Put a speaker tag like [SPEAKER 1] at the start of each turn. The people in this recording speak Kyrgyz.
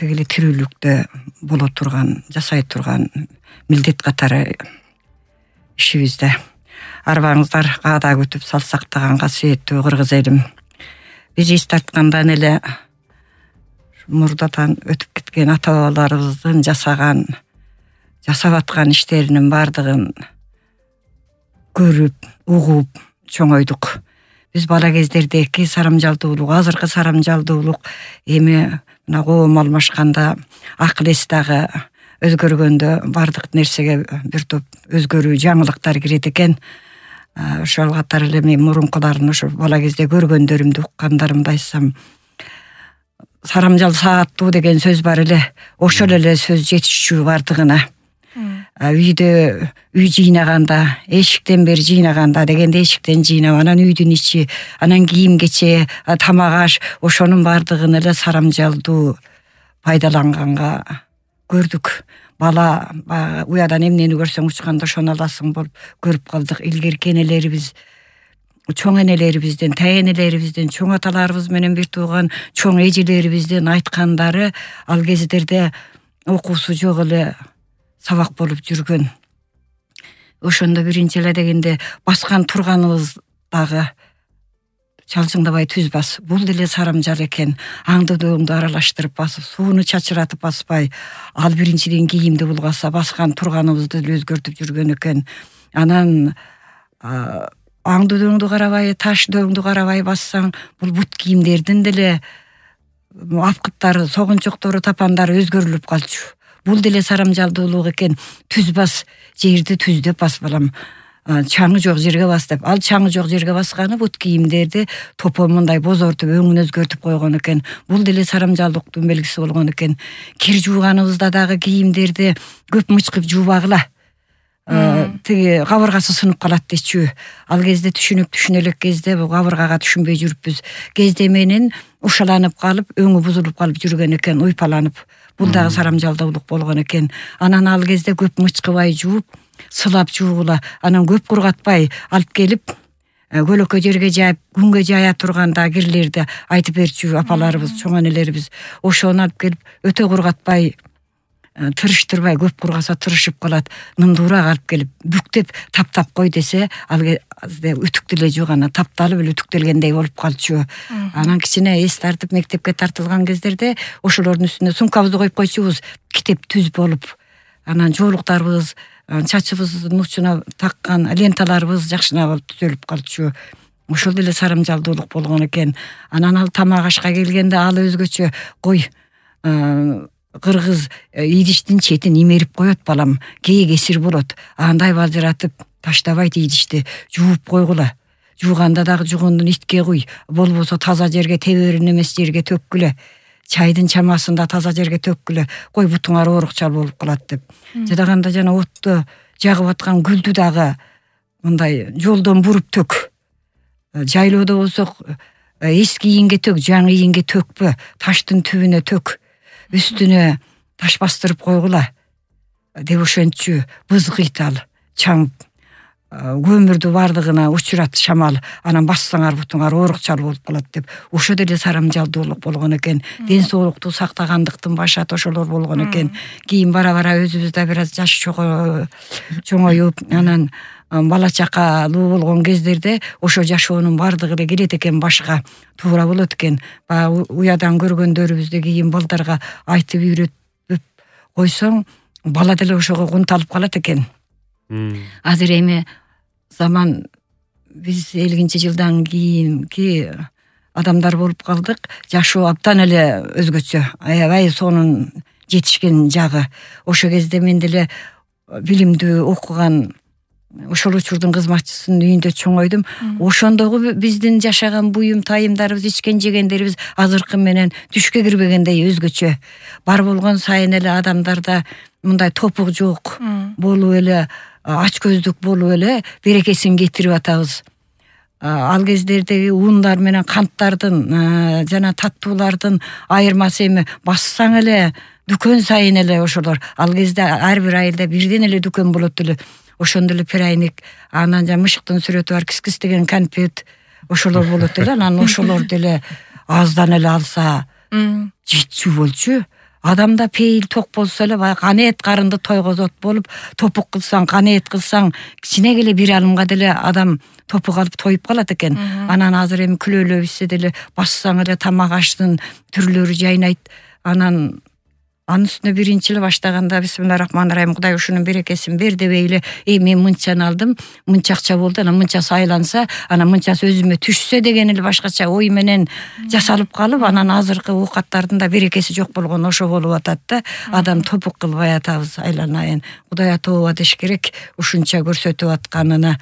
[SPEAKER 1] тиги эле тирүүлүктө боло турган, жасай турган милдет катары ишибизде. Арбаңыздар каада күтүп салсактаган касиеттүү кыргыз элим. Биз эс тарткандан эле мурдадан өтүп кеткен ата бабаларыбыздын жасап аткан иштеринин бардыгын көрүп, угуп чоңойдук. Биз бала кездердеги сарамжалдуулук, азыркы сарамжалдуулук эми мына коом алмашканда, акыл эс дагы өзгөргөндө бардык нерсеге бир топ өзгөрүү, жаңылыктар кирет экен. Ошол катары эле мен мурункулардын ошо бала кезде көргөндөрүмдү уккандарымды айтсам, сарамжал сааттуу деген сөз бар эле. Ошол эле сөз жетишчү бардыгына. Үйдө үй жыйнаганда, эшиктен бери жыйнаганда дегенде эшиктен жыйнап, анан үйдүн ичи, анан кийим кече, тамак аш, ошонун бардыгын эле сарамжалдуу пайдаланганга көрдүк. Бала уядан эмнени көрсөң учканда ошону аласың болуп көрүп калдык. Илгерки энелерибиз, чоң энелерибизден, тайэнелерибизден, чоң аталарыбыз менен бир тууган чоң эжелерибиздин айткандары ал кездерде окуусу жок эле сабак болуп жүргөн. Ошондо биринчи эле дегенде баскан турганыбыз дагы чалчыңдабай түз бас. Бул деле сарамжал экен. Аңды дөңдү аралаштырып басып, сууну чачыратып баспай, ал биринчиден кийимди булгаса, баскан турганыбызды деле өзгөртүп жүргөн экен. Анан аңды дөңдү карабай, таш дөңдү карабай бассаң, бул бут кийимдердин деле апкыттары, согунчоктору, тапандары өзгөрүлүп калчу. Бул деле сарамжалдуулук экен. Түз бас, жерди түздеп бас балам. Чаңы жок жерге бас деп. Ал чаңы жок жерге басканы бут кийимдерди топо мындай бозортуп, өңүн өзгөртүп койгон экен. Бул деле сарамжалдыктын белгиси болгон экен. Кир жууганыбызда дагы кийимдерди көп мычкып жуубагыла. Тиги кабыргасы сынып калат дечү. Ал кезде түшүнө элек кезде бул кабыргага түшүнбөй жүрүппүз. Кезде менен ушаланып калып, өңү бузулуп калып жүргөн экен, уйпаланып. Бул дагы сарамжалдуулук болгон экен. Анан ал кезде көп мычкыбай жууп, сылап жуугула, анан көп кургатпай алып келип, көлөкө жерге жайып, күнгө жая турганда кирлерди айтып берчү апаларыбыз, чоң энелерибиз. Ошону алып келип, өтө кургатпай, тырыштырбай, көп кургаса тырышып калат, нымдуураак алып келип, бүктөп таптап кой десе, ал үтүк деле жок, анан тапталып эле үтүктелгендей болуп калчу. Анан кичине эс тартып мектепке тартылган кездерде ошолордун үстүнө сумкабызды коюп койчубуз, китеп түз болуп. Анан жоолуктарыбыз, чачыбыздын учуна таккан ленталарыбыз жакшына болуп түзөлүп калчу. Ошол деле сарамжалдуулук болгон экен. Анан ал тамак ашка келгенде ал өзгөчө, кой кыргыз идиштин четин имерип коет балам, кээ кесир болот. Андай балжыратып таштабайт идишти, жууп койгула. Жууганда дагы жугундун итке куй, болбосо таза жерге, теберин эмес жерге төккүлө. Чайдын чамасында таза жерге төккүлө. Кой бутуңар оорукчал болуп калат деп. Жадаганда жана отту жагып аткан гүлдү дагы мындай жолдон буруп төк. Жайлоодо болсок эски ийинге төк, жаңы ийинге төкпө, таштын түбүнө төк. Үстүнө таш бастырып койгула деп ошентчү. Бызгыйт ал, чаңып, көмүрдү бардыгына учурат шамал, анан бассаңар бутуңар оорукчал болуп калат деп. Ошо деле сарамжалдуулук болгон экен. Ден соолукту сактагандыктын башаты ошолор болгон экен. Кийин бара-бара өзүбүздө бир аз жаш чоңоюп, анан бала чакалуу болгон кездерде ошо жашоонун бардыгы эле келет экен башка. Туура болот экен. Уядан көргөндөрүбүздү кийин балдарга айтып үйрөтүп койсоң, бала деле ошого кунталып калат экен. Азыр эми заман биз 50 жылдан кийинки адамдар болуп калдык. Жашоо абдан эле өзгөчө. Аябай сонун жетишкен жагы. Ошо кезде мен деле билимдүү окуган ошол учурдун кызматчысынын үйүндө чоңойдум. Ошондогу биздин жашаган буюм тайымдарыбыз, ичкен жегендерибиз азыркы менен түшкө кирбегендей өзгөчө. Бар болгон сайын эле адамдарда мындай топук жок болуп эле, ач көздүк болуп эле берекесин кетирип атабыз. Ал кездердеги ундар менен канттардын жана таттуулардын айырмасы эми бассаң эле дүкөн сайын эле ошолор. Ал кезде ар бир айылда бирден эле дүкөн болот эле. Ошондо эле перайник, анан жана мышыктын сүрөтү бар, кис деген конфет, ошолор болот эле. Анан ошолор деле аздан эле алса жетчү болчу. Адамда пейил ток болсо эле баягы канеет карынды тойгозот болуп, топук кылсаң, канеет кылсаң, кичине эле бир алымга деле адам топук алып тоюп калат экен. Анан азыр эми күлөлө бизсе деле бассаң эле тамак аштын түрлөрү жайнайт. Анан анын үстүнө биринчи эле баштаганда бисмиллахиррахманиррахим, Кудай ушунун берекесин бер дебей эле, мен мынчаны алдым, мынча акча болду, анан мынчасы айланса, анан мынчасы өзүмө түшсө деген эле башкача ой менен жасалып калып, анан азыркы оокаттардын да берекеси жок болгон ошо болуп атат да. Адам топук кылбай атабыз, айланайын. Кудай тооба деш керек ушунча көрсөтүп атканына.